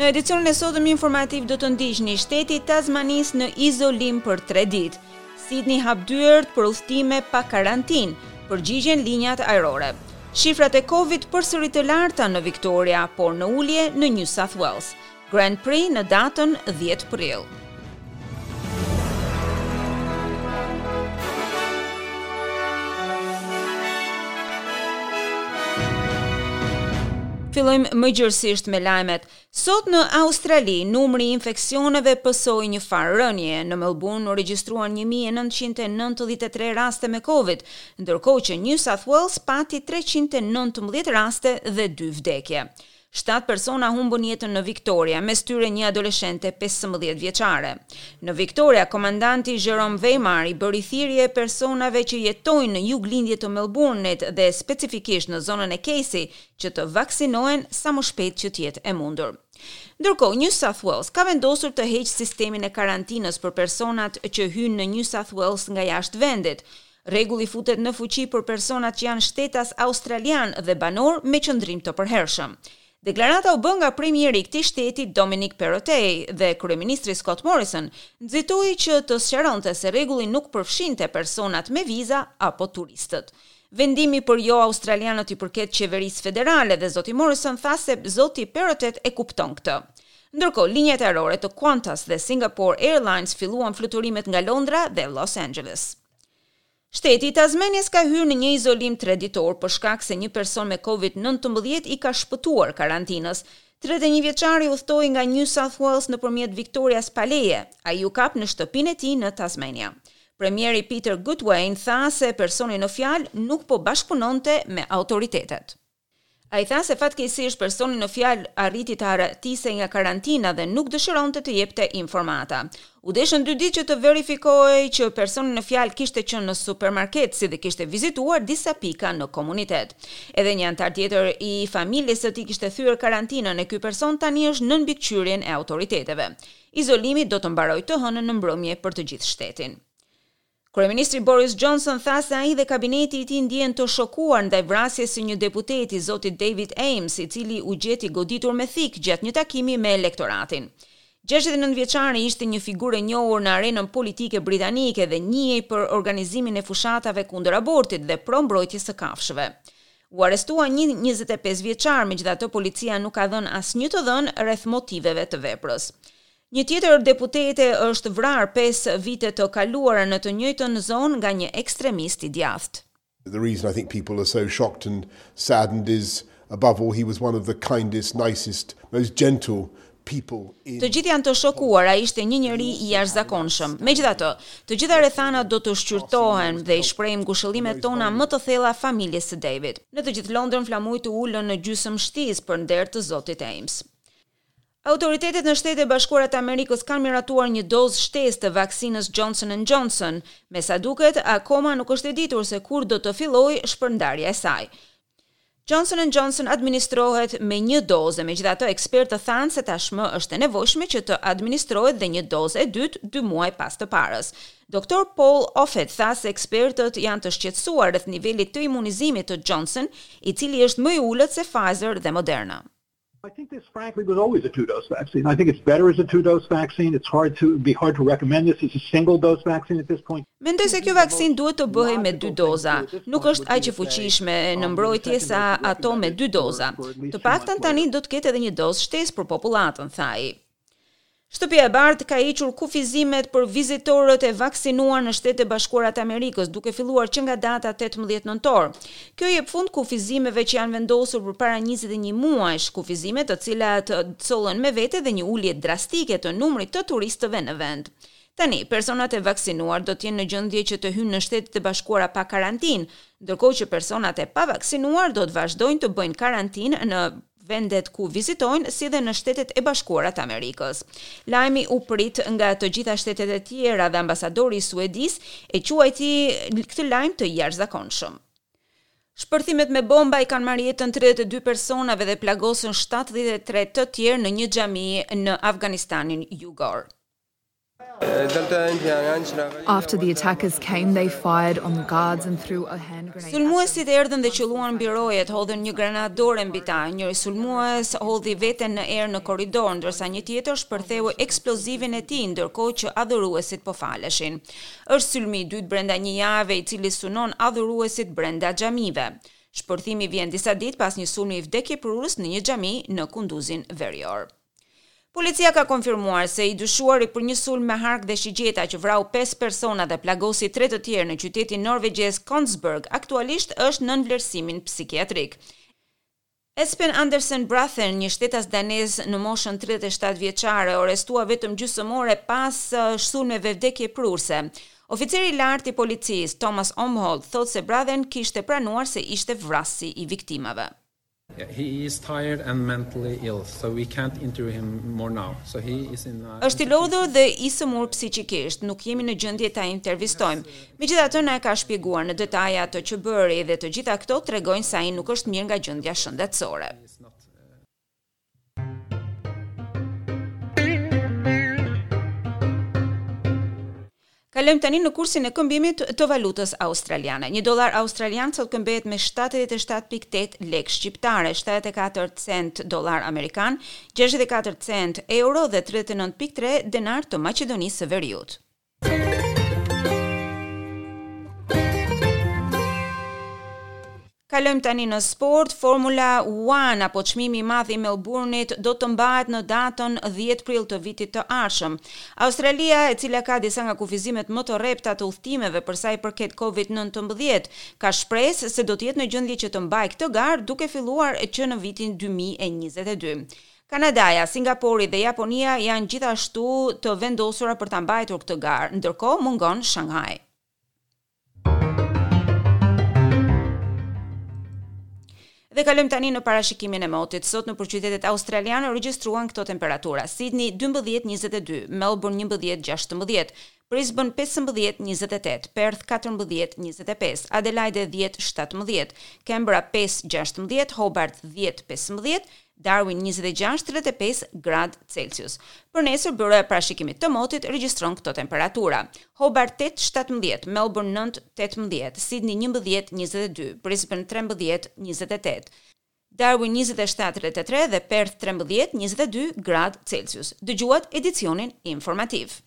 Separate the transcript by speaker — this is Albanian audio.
Speaker 1: Në edicionin e sotëm informativ do të ndiqni shteti i Tasmanisë në izolim për 3 ditë. Sydney hap dyert për udhëtime pa karantinë, përgjigjen linjat ajrore. Shifrat e Covid përsëri të larta në Victoria, por në ulje në New South Wales. Grand Prix në datën 10 prill. Fillojmë më gjerësisht me lajmet. Sot në Australi, numri i infeksioneve pësoi një farë rënie. Në Melbourne u regjistruan 1993 raste me Covid, ndërkohë që New South Wales pati 319 raste dhe 2 vdekje. Shtatë persona humbën jetën në Victoria, mes tyre një adoleshente 15 vjeçare. Në Victoria, komandanti Jerome Weimar i bëri thirrje personave që jetojnë në juglindje të Melbourne-it dhe specifikisht në zonën e Casey që të vaksinohen sa më shpejt që të jetë e mundur. Ndërkohë, New South Wales ka vendosur të heqë sistemin e karantinës për personat që hyjnë në New South Wales nga jashtë vendit. Rregulli futet në fuqi për personat që janë shtetas australianë dhe banorë me qëndrim të përhershëm. Deklarata u bë nga premieri i këtij shteti Dominic Perrottet dhe kryeministri Scott Morrison nxitoi që të sqaronte se rregulli nuk përfshinte personat me viza apo turistët. Vendimi për jo australianët i përket qeverisë federale dhe zoti Morrison tha se zoti Perrottet e kupton këtë. Ndërkohë, linjat ajrore të Qantas dhe Singapore Airlines filluan fluturimet nga Londra dhe Los Angeles. Shteti i Tasmanias ka hyrë në një izolim tre ditor për shkak se një person me Covid-19 i ka shpëtuar karantinës. 31 vjeçari udhëtoi nga New South Wales nëpërmjet Victorias pa leje. Ai u kap në shtëpinë e tij në Tasmania. Premieri Peter Gutwein tha se personi në fjalë nuk po bashkëpunonte me autoritetet. Ai tha se fatkeqësisht personi në fjalë arriti të arratisej nga karantina dhe nuk dëshironte të jepte informata. U deshën dy ditë që të verifikohej që personi në fjalë kishte qenë në supermarket si dhe kishte vizituar disa pika në komunitet. Edhe një anëtar tjetër i familjes së tij kishte thyer karantinën e ky person tani është nën mbikëqyrjen e autoriteteve. Izolimi do të mbarojë të hënën në mbrëmje për të gjithë shtetin. Kryeministri Boris Johnson tha se ai dhe kabineti i tij ndjehen të shokuar ndaj vrasjes së një deputeti, zotit David Amess, i cili u gjet i goditur me thikë gjatë një takimi me elektoratin. 69 vjeçari ishte një figurë e njohur në arenën politike britanike dhe njihej për organizimin e fushatave kundër abortit dhe pro mbrojtjes së kafshëve. U arrestua një 25 vjeçar, megjithatë policia nuk ka dhënë asnjë të dhënë rreth motiveve të veprës. Një tjetër deputete është vrarë 5 vite të kaluara në të njëjtën zonë nga një ekstremist i djathtë.
Speaker 2: The reason I think people are so shocked and saddened is above all he was one of the kindest, nicest, most gentle people in
Speaker 1: Të gjithë janë të shokuar, ai ishte një njeri i jashtëzakonshëm. Megjithatë, të gjitha rrethanat do të shqyrtohen dhe i shprehim ngushëllimet tona më të thella familjes së David. Në të gjithë Londrën flamujt u ulën në gjysmë shtizë për nder të zotit Amess. Autoritetet në Shtetet e Bashkuara të Amerikës kanë miratuar një dozë shtesë të vaksinës Johnson Johnson. Me sa duket, akoma nuk është e ditur se kur do të fillojë shpërndarja e saj. Johnson Johnson administrohet me një dozë, megjithatë ekspertët thanë se tashmë është e nevojshme që të administrohet dhe një dozë e dytë dy muaj pas të parës. Dr. Paul Offit tha se ekspertët janë të shqetësuar rreth nivelit të imunizimit të Johnson, i cili është më i ulët se Pfizer dhe Moderna.
Speaker 3: I think this, frankly, was always a two-dose vaccine. I think it's better as a two-dose vaccine. It's hard to be hard to recommend this as a single-dose vaccine at this point.
Speaker 1: Mendoj se kjo vaksinë duhet të bëhej me dy doza. Nuk është aq e fuqishme në mbrojtje sa ato me dy doza. Të paktën tani do të ketë edhe një dozë shtesë për popullatën, tha ai. Shtëpia e Bardhë ka hequr kufizimet për vizitorët e vaksinuar në Shtetet e Bashkuara të Amerikës, duke filluar që nga data 18 nëntor. Kjo jep fund kufizimeve që janë vendosur përpara 21 muajsh, kufizime të cilat sollën me vete dhe një ulje drastike të numrit të turistëve në vend. Tani, personat e vaksinuar do të jenë në gjendje që të hyjnë në Shtetet e Bashkuara pa karantinë, ndërkohë që personat e pavaksinuar do të vazhdojnë të bëjnë karantinë në vendet ku vizitojnë si dhe në Shtetet e Bashkuara të Amerikës. Lajmi u prit nga të gjitha shtetet e tjera dhe ambasadori i Suedisë e quajti këtë lajm të jashtëzakonshëm. Shpërthimet me bomba i kanë marrë jetën 32 personave dhe plagosën 73 të tjerë në një xhami në Afganistanin jugor.
Speaker 4: After the attackers came, they fired on the guards and threw a hand grenade.
Speaker 1: Sulmuesit erdhën dhe qëlluan mbi rojet, hodhën një granatë dore mbi ta. Njëri sulmues hodhi veten në erë në korridor, ndërsa një tjetër shpërtheu eksplozivin e tij ndërkohë që adhuruesit po faleshin. Është sulmi i dytë brenda një jave i cili synon adhuruesit brenda xhamive. Shpërthimi vjen disa ditë pas një sulmi vdekjeprurës në një xhami në Kunduzin Verior. Policia ka konfirmuar se i dyshuari për një sulm me hark dhe shigjeta që vrau pesë persona dhe plagosi tre të tjerë në qytetin norvegjez Kongsberg aktualisht është nën vlerësimin psikiatrik. Espen Andersen Brathen, një shtetas danez në moshën 37 vjeçare, u arrestua vetëm gjysmë ore pas sulmeve vdekjeprurëse. Oficeri i lartë i policisë, Thomas Omholt, thotë se Brathen kishte pranuar se ishte vrasësi i viktimave.
Speaker 5: He is tired and mentally ill, so we can't interview him more now. So he is in
Speaker 1: a Është i lodhur dhe i sëmurë psiqikisht, nuk jemi në gjendje ta intervistojmë. Megjithatë na e ka shpjeguar në detaje atë që bëri dhe të gjitha këto tregojnë se ai nuk është mirë nga gjendja shëndetësore. Kalojmë tani në kursin e këmbimit të valutës australiane. Një dollar australian sot këmbehet me 77.8 lekë shqiptare, 74 cent dollar amerikan, 64 cent euro dhe 39.3 denar të Maqedonisë së Veriut. Kalojmë tani në sport, Formula One apo çmimi i madh i Melbourne-it do të mbahet në datën 10 prill të vitit të ardhshëm. Australia, e cila ka disa nga kufizimet më të rrepta të udhëtimeve për sa i përket Covid-19, ka shpresë se do të jetë në gjendje që të mbajë këtë garë duke filluar që në vitin 2022. Kanadaja, Singapori dhe Japonia janë gjithashtu të vendosura për ta mbajtur këtë garë, ndërkohë mungon Shanghai. Dhe kalojmë tani në parashikimin e motit. Sot nëpër qytetet australiane u regjistruan këto temperatura: Sydney 12:22, Melbourne 11:16, Brisbane 15:28, Perth 14:25, Adelaide 10:17, Canberra 5:16, Hobart 10:15, Darwin 26, 35 gradë Celsius. Për nesër, Byroja e Parashikimit të Motit regjistron këto temperatura. Hobart 8, 17, Melbourne 9, 18, Sydney 11, 22, Brisbane 13, 28, Darwin 27, 33 dhe Perth 13, 22 gradë Celsius. Dëgjuat edicionin informativ.